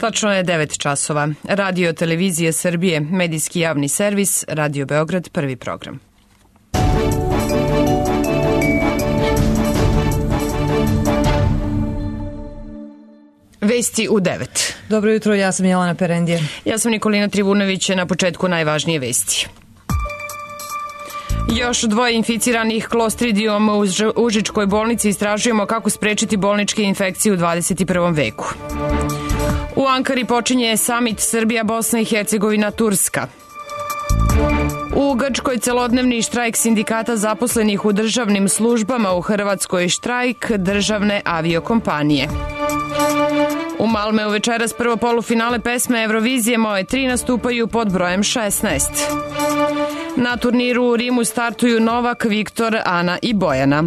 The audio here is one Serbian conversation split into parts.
Tačno je 9 časova. Radio Televizije Srbije, medijski javni servis, Radio Beograd, prvi program. Vesti u 9. Dobro jutro, ja sam Jelena Perendije. Ja sam Nikolina Trivunović, na početku najvažnije vesti. Još 2 inficiranih klostridijom u Užičkoj bolnici, istražujemo kako sprečiti bolničke infekcije u 21. veku. U Ankari počinje samit Srbija, Bosna i Hercegovina, Turska. U Grčkoj celodnevni štrajk sindikata zaposlenih u državnim službama, u Hrvatskoj štrajk državne aviokompanije. U Malmeu večeras prvo polufinale pesme Eurovizije Moje 3 nastupaju pod brojem 16. Na turniru u Rimu startuju Novak, Viktor, Ana i Bojana.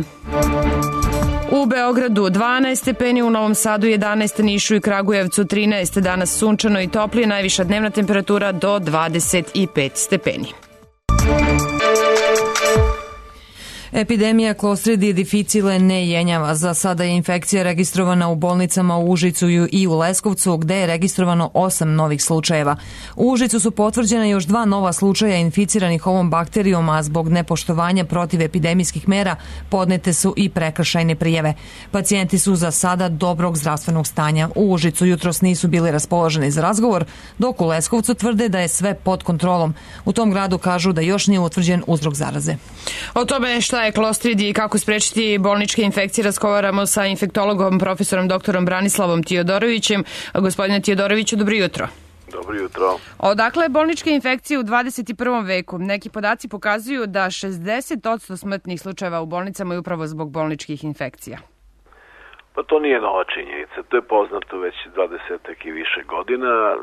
U Beogradu 12 stepeni, u Novom Sadu 11, Nišu i Kragujevcu 13, danas sunčano i toplije, najviša dnevna temperatura do 25 stepeni. Epidemija Clostridium difficile ne jenjava. Za sada je infekcija registrovana u bolnicama u Užicu i u Leskovcu, gde je registrovano 8 novih slučajeva. U Užicu su potvrđena još 2 nova slučaja inficiranih ovom bakterijom, a zbog nepoštovanja protivepidemijskih mera podnete su i prekršajne prijave. Pacijenti su za sada dobrog zdravstvenog stanja. U Užicu jutros nisu bili raspoloženi za razgovor, dok u Leskovcu tvrde da je sve pod kontrolom. U tom gradu kažu da još nije utvrđen uzrok zaraze. O tome šta je klostridij i kako sprečiti bolničke infekcije razgovaramo sa infektologom profesorom doktorom Branislavom Tijodorovićem. Gospodine Tijodoroviću, dobro jutro. Dobro jutro. Odakle bolničke infekcije u 21. veku? Neki podaci pokazuju da 60% smrtnih slučajeva u bolnicama je upravo zbog bolničkih infekcija. Pa to nije nova činjenica, to je poznato već 20 i više godina.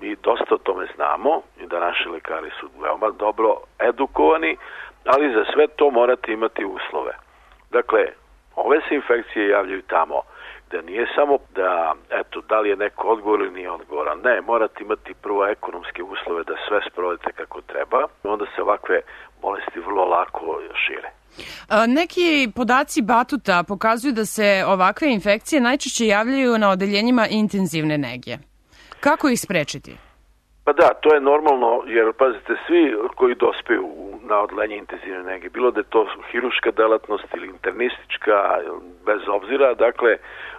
Mi dosta o tome znamo i da naši lekari su veoma dobro edukovani, ali za sve to morate imati uslove. Dakle, ove se infekcije javljaju tamo da nije samo da li je neko odgovor ili nije odgovoran. Ne, morate imati prvo ekonomske uslove da sve sprovedete kako treba, onda se ovakve bolesti vrlo lako šire. Neki podaci Batuta pokazuju da se ovakve infekcije najčešće javljaju na odeljenjima intenzivne nege. Kako ih sprečiti? Pa da, to je normalno, jer pazite, svi koji dospeju na odeljenje intenzivne nege, bilo da je to hiruška delatnost ili internistička, bez obzira, dakle,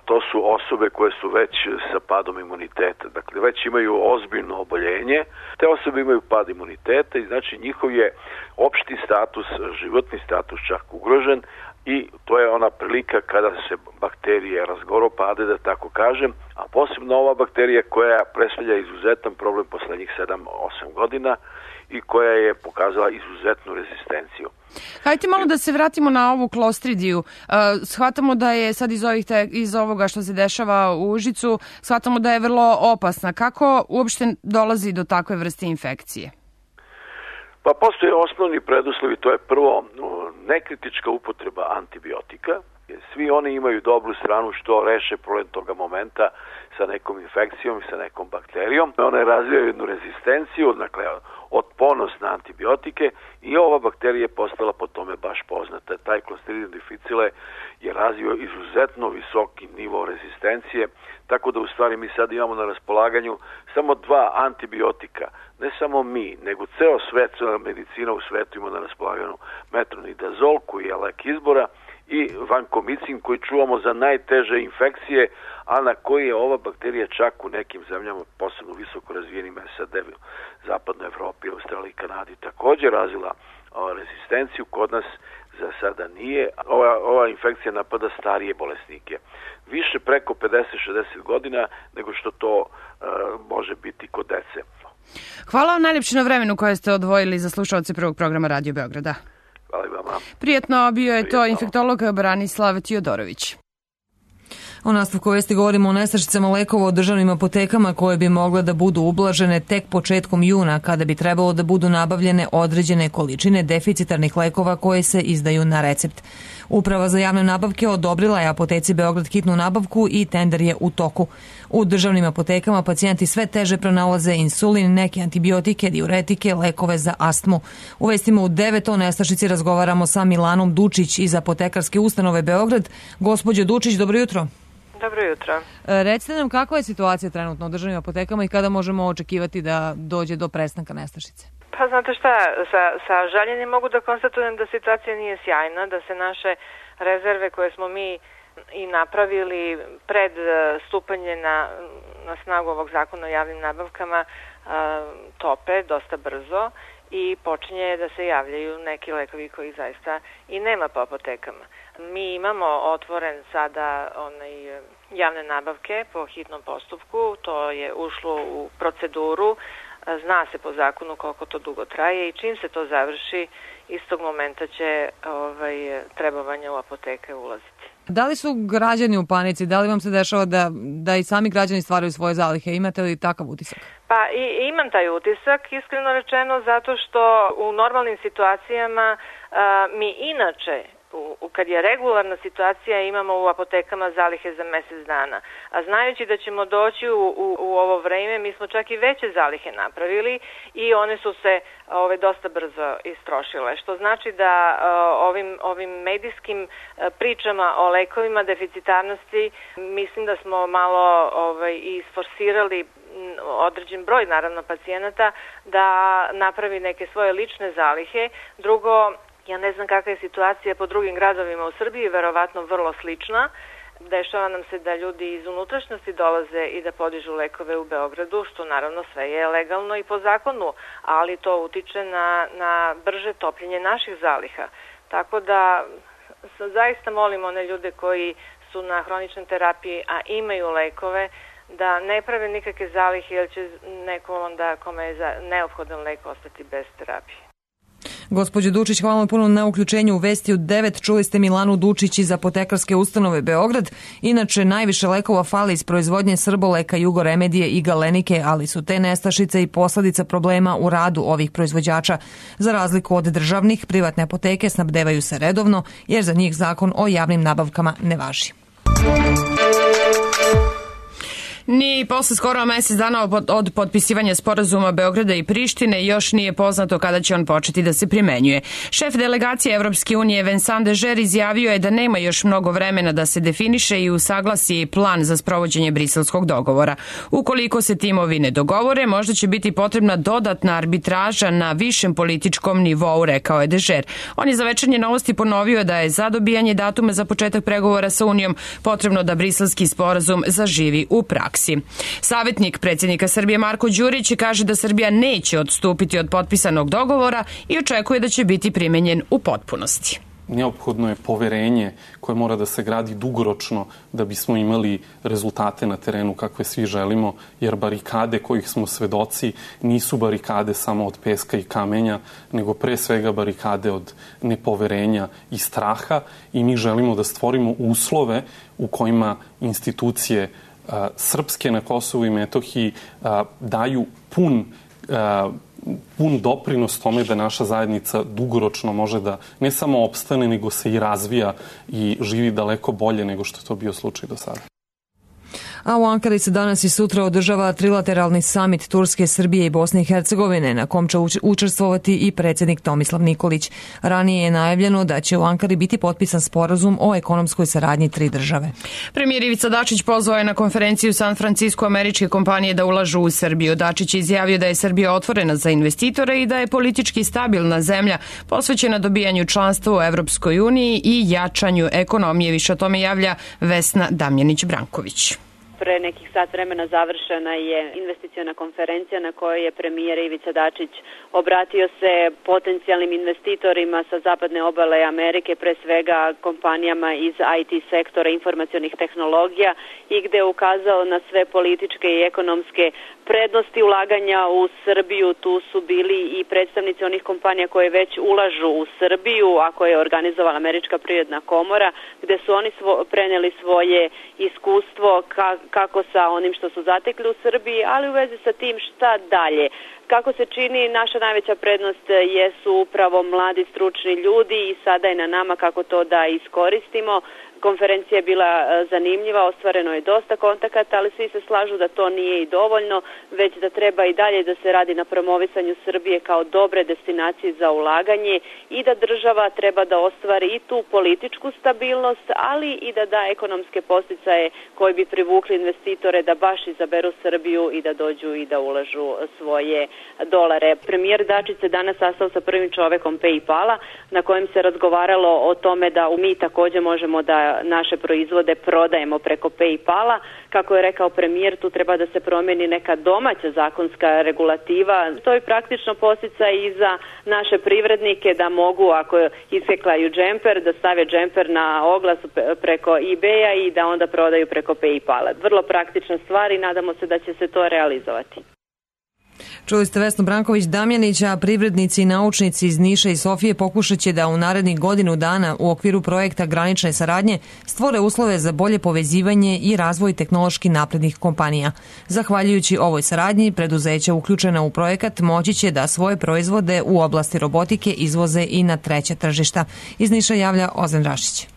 to su osobe koje su već sa padom imuniteta, dakle, već imaju ozbiljno oboljenje, te osobe imaju pad imuniteta i znači njihov je opšti status, životni status čak ugrožen, i to je ona prilika kada se bakterije razgoropade, da tako kažem, a posebno ova bakterija koja predstavlja izuzetan problem poslednjih 7-8 godina i koja je pokazala izuzetnu rezistenciju. Hajde malo da se vratimo na ovu klostridiju. Shvatamo da je sad iz ovoga što se dešava u Užicu, shvatamo da je vrlo opasna. Kako uopšte dolazi do takve vrste infekcije? Pa postoje osnovni preduslovi, to je prvo nekritička upotreba antibiotika. Svi oni imaju dobru stranu što reše problem toga momenta sa nekom infekcijom i sa nekom bakterijom. One razvijaju jednu rezistenciju, dakle otpornost na antibiotike, i ova bakterija je postala po tome baš poznata. Taj Clostridium difficile je razvio izuzetno visoki nivo rezistencije, tako da u stvari mi sad imamo na raspolaganju samo 2 antibiotika. Ne samo mi, nego ceo svet, medicina u svetu ima na raspolaganju metronidazol, koji je lek izbora, i vankomicin, koji čuvamo za najteže infekcije, a na koji je ova bakterija čak u nekim zemljama, posebno visoko razvijenim SAD, zapadnoj Evropi, Australiji i Kanadi, također razvila rezistenciju. Kod nas za sada nije. Ova infekcija napada starije bolesnike. Više preko 50-60 godina nego što to može biti kod dece. Hvala vam najljepše na vremenu koje ste odvojili za slušalce prvog programa Radio Beograda. Hvala i vama. Prijetno, bio je to infektolog Branislav Tijodorović. U nastavku vesti govorimo o nestašicama lekova u državnim apotekama koje bi mogle da budu ublažene tek početkom juna, kada bi trebalo da budu nabavljene određene količine deficitarnih lekova koje se izdaju na recept. Uprava za javne nabavke odobrila je apoteci Beograd hitnu nabavku i tender je u toku. U državnim apotekama pacijenti sve teže pronalaze insulin, neke antibiotike, diuretike, lekove za astmu. U vestima u 9 o nestašici razgovaramo sa Milanom Dučić iz apotekarske ustanove Beograd. Gospođo Dučić, dobro jutro. Dobro jutro. Recite nam kakva je situacija trenutno u državnim apotekama i kada možemo očekivati da dođe do prestanka nestašice? Pa znate šta, sa žaljenjem mogu da konstatujem da situacija nije sjajna, da se naše rezerve koje smo mi i napravili pred stupanje na snagu ovog zakona o javnim nabavkama tope dosta brzo i počinje da se javljaju neki lekovi koji zaista i nema po apotekama. Mi imamo otvoren sada javne nabavke po hitnom postupku, to je ušlo u proceduru, zna se po zakonu koliko to dugo traje i čim se to završi, istog momenta će trebovanje u apoteke ulaziti. Da li su građani u panici? Da li vam se dešava da i sami građani stvaraju svoje zalihe? Imate li takav utisak? Pa imam taj utisak, iskreno rečeno, zato što u normalnim situacijama mi inače, kad je regularna situacija, imamo u apotekama zalihe za mesec dana. A znajući da ćemo doći u ovo vreme, mi smo čak i veće zalihe napravili i one su se dosta brzo istrošile. Što znači da ovim medijskim pričama o lekovima deficitarnosti, mislim da smo malo isforsirali određen broj, naravno, pacijenata da napravi neke svoje lične zalihe. Drugo, ja ne znam kakva je situacija po drugim gradovima u Srbiji, verovatno vrlo slična. Dešava nam se da ljudi iz unutrašnjosti dolaze i da podižu lekove u Beogradu, što naravno sve je legalno i po zakonu, ali to utiče na brže topljenje naših zaliha. Tako da zaista molim one ljude koji su na hroničnoj terapiji, a imaju lekove, da ne prave nikakve zalihe, jer će neko onda kome je neophodan lek ostati bez terapije. Gospođo Dučić, hvala vam puno na uključenju u Vesti u 9. Čuli ste Milanu Dučić iz Apotekarske ustanove Beograd. Inače, najviše lekova fali iz proizvodnje Srboleka, Jugoremedije i Galenike, ali su te nestašice i posledica problema u radu ovih proizvođača. Za razliku od državnih, privatne apoteke snabdevaju se redovno, jer za njih zakon o javnim nabavkama ne važi. Ni posle skoro mesec dana od potpisivanja sporazuma Beograda i Prištine još nije poznato kada će on početi da se primenjuje. Šef delegacije Evropske unije Vincent Dežer izjavio je da nema još mnogo vremena da se definiše i usaglasi plan za sprovođenje briselskog dogovora. Ukoliko se timovi ne dogovore, možda će biti potrebna dodatna arbitraža na višem političkom nivou, rekao je Dežer. On je za Večernje novosti ponovio da je za dobijanje datuma za početak pregovora sa Unijom potrebno da briselski sporazum zaživi u praksi. Savjetnik predsjednika Srbije Marko Đurić kaže da Srbija neće odstupiti od potpisanog dogovora i očekuje da će biti primenjen u potpunosti. Neophodno je poverenje koje mora da se gradi dugoročno da bismo imali rezultate na terenu kakve svi želimo, jer barikade kojih smo svedoci nisu barikade samo od peska i kamenja, nego pre svega barikade od nepoverenja i straha i mi želimo da stvorimo uslove u kojima institucije srpske na Kosovu i Metohiji daju pun doprinos tome da naša zajednica dugoročno može da ne samo opstane, nego se i razvija i živi daleko bolje nego što je to bio slučaj do sada. A u Ankari se danas i sutra održava trilateralni samit Turske, Srbije i Bosne i Hercegovine, na kom će učestvovati i predsjednik Tomislav Nikolić. Ranije je najavljeno da će u Ankari biti potpisan sporazum o ekonomskoj saradnji tri države. Premijer Ivica Dačić pozvao je na konferenciju u San Francisco američke kompanije da ulažu u Srbiju. Dačić je izjavio da je Srbija otvorena za investitore i da je politički stabilna zemlja posvećena dobijanju članstva u Evropskoj uniji i jačanju ekonomije. Više o tome javlja Vesna Damjanić-Branković. Pre nekih sat vremena završena je investiciona konferencija na kojoj je premijer Ivica Dačić obratio se potencijalnim investitorima sa zapadne obale Amerike, pre svega kompanijama iz IT sektora informacionih tehnologija i gde je ukazao na sve političke i ekonomske prednosti ulaganja u Srbiju. Tu su bili i predstavnici onih kompanija koje već ulažu u Srbiju, a koje je organizovala Američka privredna komora, gde su oni preneli svoje iskustvo kako sa onim što su zatekli u Srbiji, ali u vezi sa tim šta dalje. Kako se čini, naša najveća prednost jesu upravo mladi stručni ljudi i sada je na nama kako to da iskoristimo. Konferencija je bila zanimljiva, ostvareno je dosta kontakata, ali svi se slažu da to nije i dovoljno, već da treba i dalje da se radi na promovisanju Srbije kao dobre destinacije za ulaganje i da država treba da ostvari i tu političku stabilnost, ali i da da ekonomske podsticaje koji bi privukli investitore da baš izaberu Srbiju i da dođu i da ulažu svoje dolare. Premijer Dačić se danas sastao sa prvim čovekom PayPala na kojem se razgovaralo o tome da mi također možemo da naše proizvode prodajemo preko PayPala. Kako je rekao premijer, tu treba da se promeni neka domaća zakonska regulativa. To je praktično podsticaj i za naše privrednike da mogu, ako iseklaju džemper, da stave džemper na oglas preko eBaya i da onda prodaju preko PayPala. Vrlo praktična stvar i nadamo se da će se to realizovati. Čuli ste Vesnu Branković-Damjanić, a privrednici i naučnici iz Niša i Sofije pokušat će da u narednih godinu dana u okviru projekta granične saradnje stvore uslove za bolje povezivanje i razvoj tehnološki naprednih kompanija. Zahvaljujući ovoj saradnji, preduzeća uključena u projekat moći će da svoje proizvode u oblasti robotike izvoze i na treća tržišta. Iz Niša javlja Ozan Rašić.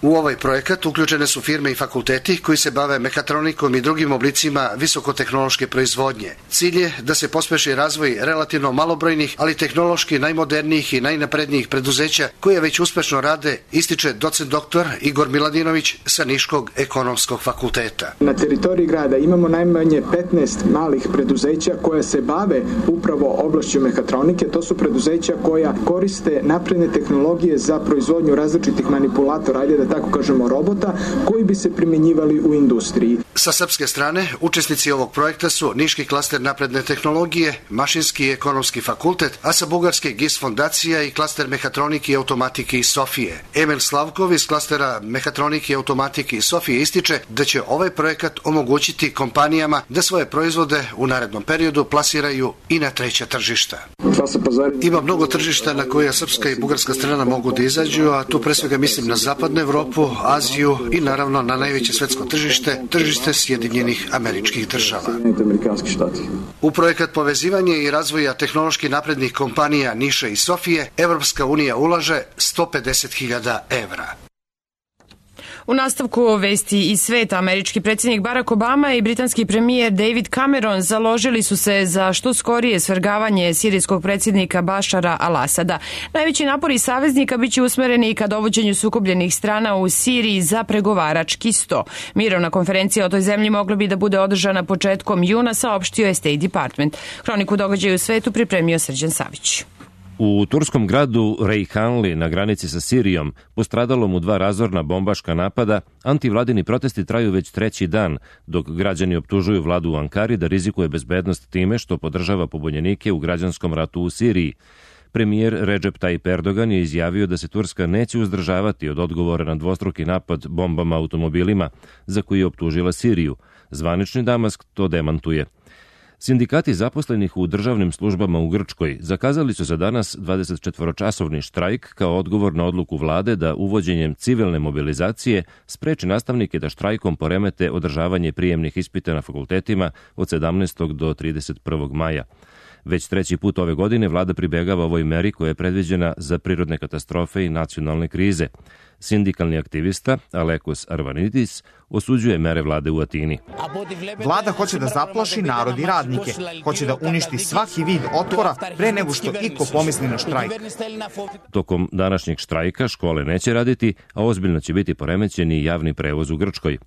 U ovaj projekat uključene su firme i fakulteti koji se bave mekatronikom i drugim oblicima visokotehnološke proizvodnje. Cilj je da se pospeši razvoj relativno malobrojnih, ali tehnološki najmodernijih i najnaprednijih preduzeća koje već uspešno rade, ističe docent doktor Igor Miladinović sa Niškog ekonomskog fakulteta. Na teritoriji grada imamo najmanje 15 malih preduzeća koja se bave upravo oblašću mekatronike. To su preduzeća koja koriste napredne tehnologije za proizvodnju različitih manipulatora, ajde da tako kažemo robota, koji bi se primjenjivali u industriji. Sa srpske strane, učesnici ovog projekta su Niški klaster napredne tehnologije, Mašinski i ekonomski fakultet, a sa bugarske GIS fondacija i klaster mehatronike i automatike iz Sofije. Emil Slavkov iz klastera mehatronike i automatike iz Sofije ističe da će ovaj projekat omogućiti kompanijama da svoje proizvode u narednom periodu plasiraju i na treća tržišta. Ima mnogo tržišta na koja srpska i bugarska strana mogu da izađu, a tu pre svega mislim na zapadnu Evropu, Aziju i naravno na najveće svetsko tržište Sjedinjenih Američkih Država. U projekat povezivanja i razvoja tehnološki naprednih kompanija Niša i Sofije, Evropska unija ulaže 150.000 evra. U nastavku vesti iz sveta, američki predsjednik Barack Obama i britanski premijer David Cameron založili su se za što skorije svrgavanje sirijskog predsjednika Bašara al-Asada. Najveći napori saveznika biće usmereni ka dovođenju sukobljenih strana u Siriji za pregovarački sto. Mirovna konferencija o toj zemlji mogla bi da bude održana početkom juna, saopštio je State Department. Hroniku događaja u svetu pripremio Srđan Savić. U turskom gradu Rejhanli na granici sa Sirijom, postradalom u 2 razorna bombaška napada, antivladini protesti traju već 3. dan, dok građani optužuju vladu u Ankari da rizikuje bezbednost time što podržava pobunjenike u građanskom ratu u Siriji. Premijer Recep Tayyip Erdogan je izjavio da se Turska neće uzdržavati od odgovora na dvostruki napad bombama automobilima za koji je optužila Siriju. Zvanični Damask to demantuje. Sindikati zaposlenih u državnim službama u Grčkoj zakazali su za danas 24-časovni štrajk kao odgovor na odluku vlade da uvođenjem civilne mobilizacije spreči nastavnike da štrajkom poremete održavanje prijemnih ispita na fakultetima od 17. do 31. maja. Već 3. put ove godine vlada pribegava ovoj meri koja je predviđena za prirodne katastrofe i nacionalne krize. Sindikalni aktivista Alekos Arvanidis osuđuje mere vlade u Atini. Vlada hoće da zaplaši narod i radnike, hoće da uništi svaki vid otpora pre nego što iko pomisli na štrajk. Tokom današnjeg štrajka škole neće raditi, a ozbiljno će biti poremećeni javni prevoz u Grčkoj.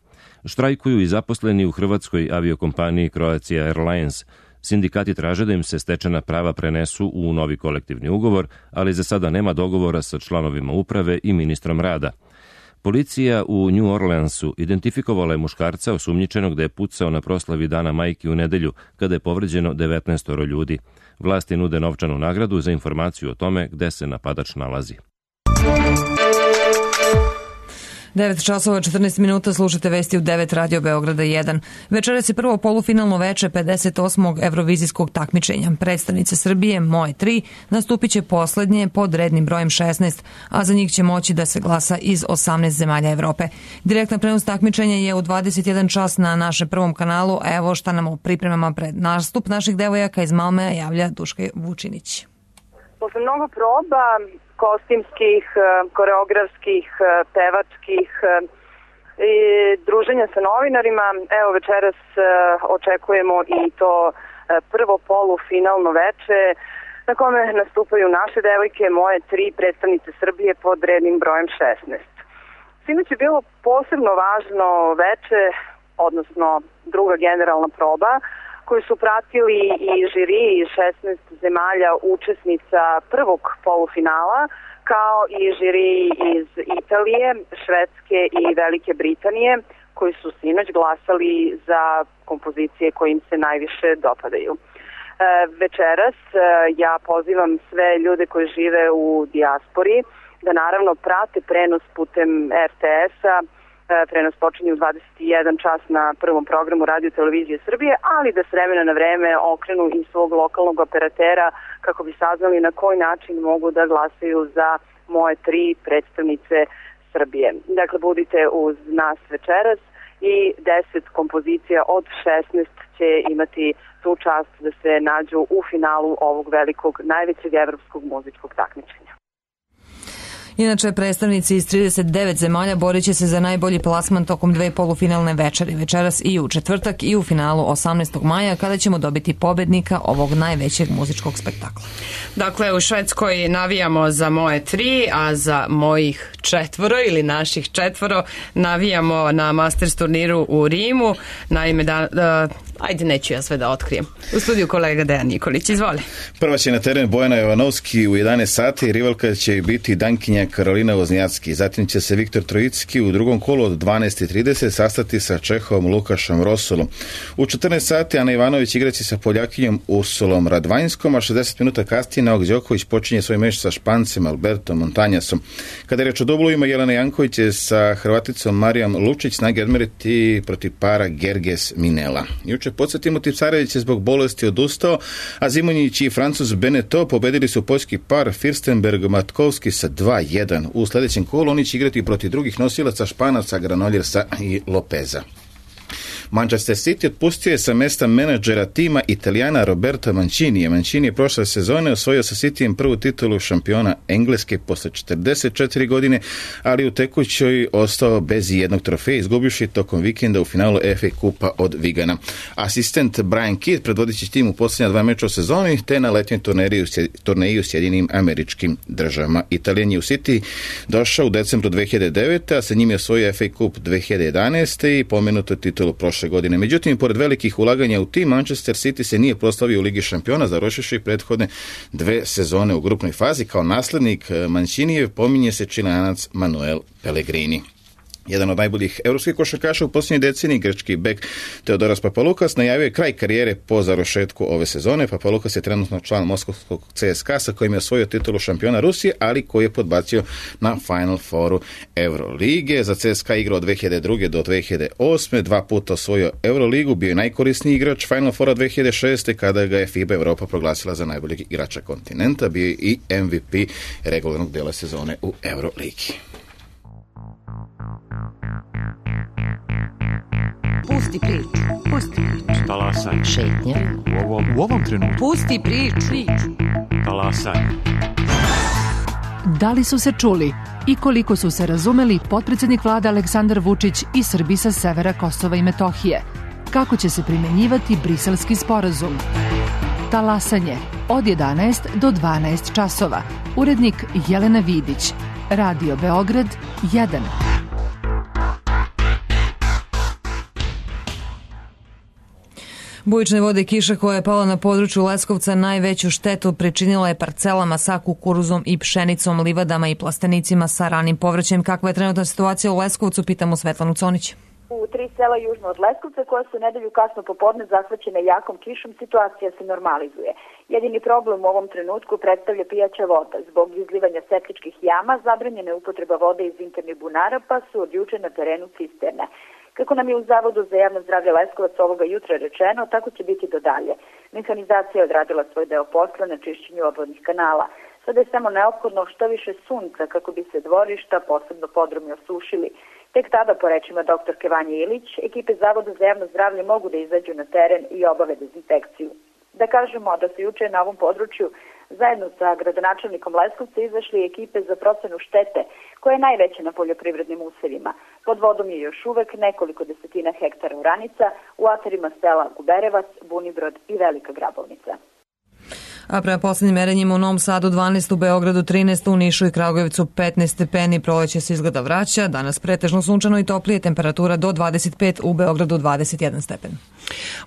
Štrajkuju i zaposleni u hrvatskoj aviokompaniji Croatia Airlines. Sindikati traže da im se stečena prava prenesu u novi kolektivni ugovor, ali za sada nema dogovora sa članovima uprave i ministrom rada. Policija u New Orleansu identifikovala je muškarca osumnjičenog da je pucao na proslavi Dana majki u nedelju, kada je povređeno 19 ljudi. Vlasti nude novčanu nagradu za informaciju o tome gde se napadač nalazi. 9 časova 14 minuta, slušate vesti u 9 Radio Beograda 1. Večeras je prvo polufinalno veče 58. evrovizijskog takmičenja. Predstavnice Srbije, Moje 3, nastupit će poslednje pod rednim brojem 16, a za njih će moći da se glasa iz 18 zemalja Evrope. Direktna prenos takmičenja je u 21 čas na našem prvom kanalu. Evo šta nam u pripremama pred nastup naših devojaka iz Malmeja javlja Duška Vučinić. Posle mnogo proba, kostimskih, koreografskih, pevačkih, i druženja sa novinarima. Evo večeras očekujemo i to prvo polufinalno veče na kome nastupaju naše devojke, moje 3 predstavnice Srbije pod rednim brojem 16. Sinoć je bilo posebno važno veče, odnosno druga generalna proba, koju su pratili i žiri iz 16 zemalja učesnica prvog polufinala, kao i žiri iz Italije, Švedske i Velike Britanije, koji su sinoć glasali za kompozicije koje im se najviše dopadaju. Večeras ja pozivam sve ljude koji žive u dijaspori da naravno prate prenos putem RTS-a. Prenos počinje u 21 čas na prvom programu Radio Televizije Srbije, ali da s vremena na vreme okrenu i svog lokalnog operatera kako bi saznali na koji način mogu da glasaju za moje 3 predstavnice Srbije. Dakle, budite uz nas večeras i 10 kompozicija od 16 će imati tu čast da se nađu u finalu ovog velikog, najvećeg evropskog muzičkog takmičenja. Inače, predstavnici iz 39 zemalja borit će se za najbolji plasman tokom 2 polufinalne večeri, večeras i u četvrtak i u finalu 18. maja, kada ćemo dobiti pobednika ovog najvećeg muzičkog spektakla. Dakle, u Švedskoj navijamo za moje 3, a za mojih 4 ili naših 4 navijamo na Masters turniru u Rimu. Naime, ajde, neću ja sve da otkrijem. U studiju kolega Dejan Nikolić, izvoli. Prva će na teren Bojana Jovanovski u 11 sati, rivalka će biti dankinja Karolina Voznjacki. Zatim će se Viktor Trojicki u drugom kolu od 12:30 sastati sa Čehovom Lukašom Rosolom. U 14 sati Ana Ivanović igraće sa Poljakinjom Ursulom Radvanjskom, a 60 minuta kasnije Novak Đoković počinje svoj meč sa Špancem Albertom Montanjasom. Kada je reč o dublovima, Jelena Janković je sa Hrvaticom Marijom Lučić snage odmeriti protiv para Gerges Minela. Juče podsjetimo, Tipsarević je zbog bolesti odustao, a Zimonjić i Francuz Beneteau pobedili su poljski par Firstenberg-Matkovski sa 2:1. U sljedećem kolu oni će igrati protiv drugih nosilaca Španaca, Granoljersa i Lopeza. Manchester City otpustio je sa mesta menadžera tima Italijana Roberto Mancini. Mancini je prošle sezone osvojio sa Cityjem prvu titulu šampiona Engleske posle 44 godine, ali u tekućoj ostao bez jednog trofeja, izgubivši tokom vikenda u finalu FA Kupa od Vigana. Asistent Brian Kidd predvodit će tim u posljednja 2 meča u sezoni, te na letnjoj turneji u Sjedinim Američkim Državama. Italijan je u City došao u decembru 2009. a sa njim je osvojio FA Kup 2011. i pomenuto titulu prošle godine. Međutim, pored velikih ulaganja u tim, Manchester City se nije proslavio u Ligi šampiona, završivši prethodne 2 sezone u grupnoj fazi. Kao naslednik Mancinijev pominje se Čileanac Manuel Pellegrini. Jedan od najboljih evropskih košarkaša u posljednjoj deceniji, grčki bek Teodoras Papalukas, najavio je kraj karijere po završetku ove sezone. Papalukas je trenutno član moskovskog CSKA sa kojim je osvojio titulu šampiona Rusije, ali koji je podbacio na Final Fouru Eurolige. Za CSKA igrao od 2002. do 2008. 2 puta osvojio Euroligu, bio je najkorisniji igrač Final Foura 2006. kada ga je FIBA Evropa proglasila za najboljeg igrača kontinenta. Bio je i MVP regularnog dela sezone u Euroligi. Pusti priču. Pusti priču. Talasaj. Šetnja. U ovom trenutku. Pusti priču. Talasaj. Da li su se čuli i koliko su se razumeli potpredsjednik vlade Aleksandar Vučić i Srbi sa severa Kosova i Metohije? Kako će se primenjivati Briselski sporazum? Talasanje od 11 do 12 časova. Urednik Jelena Vidić. Radio Beograd 1. Bujične vode i kiša koja je pala na području Leskovca najveću štetu pričinila je parcelama sa kukuruzom i pšenicom, livadama i plastenicima sa ranim povrćem. Kakva je trenutna situacija u Leskovcu, pitamo Svetlanu Conić. U 3 sela južno od Leskovca, koja su nedelju kasno popodne zahvaćene jakom kišom, situacija se normalizuje. Jedini problem u ovom trenutku predstavlja pijaća voda. Zbog izlivanja septičkih jama zabranjena je upotreba vode iz internih bunara, pa su od juče na terenu cisterne. Kako nam je u Zavodu za javno zdravlje Leskovac ovoga jutra rečeno, tako će biti do dalje. Mehanizacija je odradila svoj deo posla na čišćenju obvodnih kanala. Sada je samo neophodno što više sunca kako bi se dvorišta, posebno podrumi, osušili. Tek tada, po rečima doktorke Vanje Ilić, ekipe Zavoda za javno zdravlje mogu da izađu na teren i obave dezinfekciju. Da kažemo da se juče na ovom području Zajedno sa gradonačelnikom Leskovca izašli ekipe za procenu štete, koja je najveća na poljoprivrednim usevima. Pod vodom je još uvek nekoliko desetina hektara oranica u atarima sela Guberevac, Bunibrod i Velika Grabovnica. A prema poslednjim merenjima u Novom Sadu 12, u Beogradu 13, u Nišu i Kragujevcu 15 stepeni, proleće se izgleda vraća, danas pretežno sunčano i toplije, temperatura do 25, u Beogradu 21 stepen.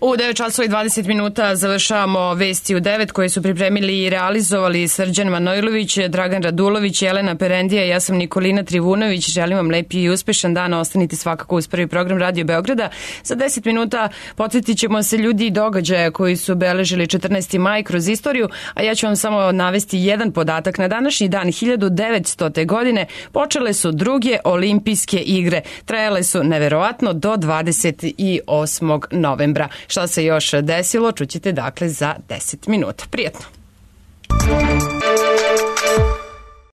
U 9 časova i 20 minuta završavamo Vesti u 9 koje su pripremili i realizovali Srđan Manojlović, Dragan Radulović, Jelena Perendija i ja sam Nikolina Trivunović. Želim vam lepi i uspešan dan, ostanite svakako uz prvi program Radio Beograda. Za 10 minuta podsjetit ćemo se ljudi i događaja koji su obeležili 14. maj kroz istoriju, a ja ću vam samo navesti jedan podatak. Na današnji dan 1900. godine počele su druge olimpijske igre. Trajale su neverovatno do 28. novembra. Šta se još desilo, čućete dakle za 10 minuta. Prijetno!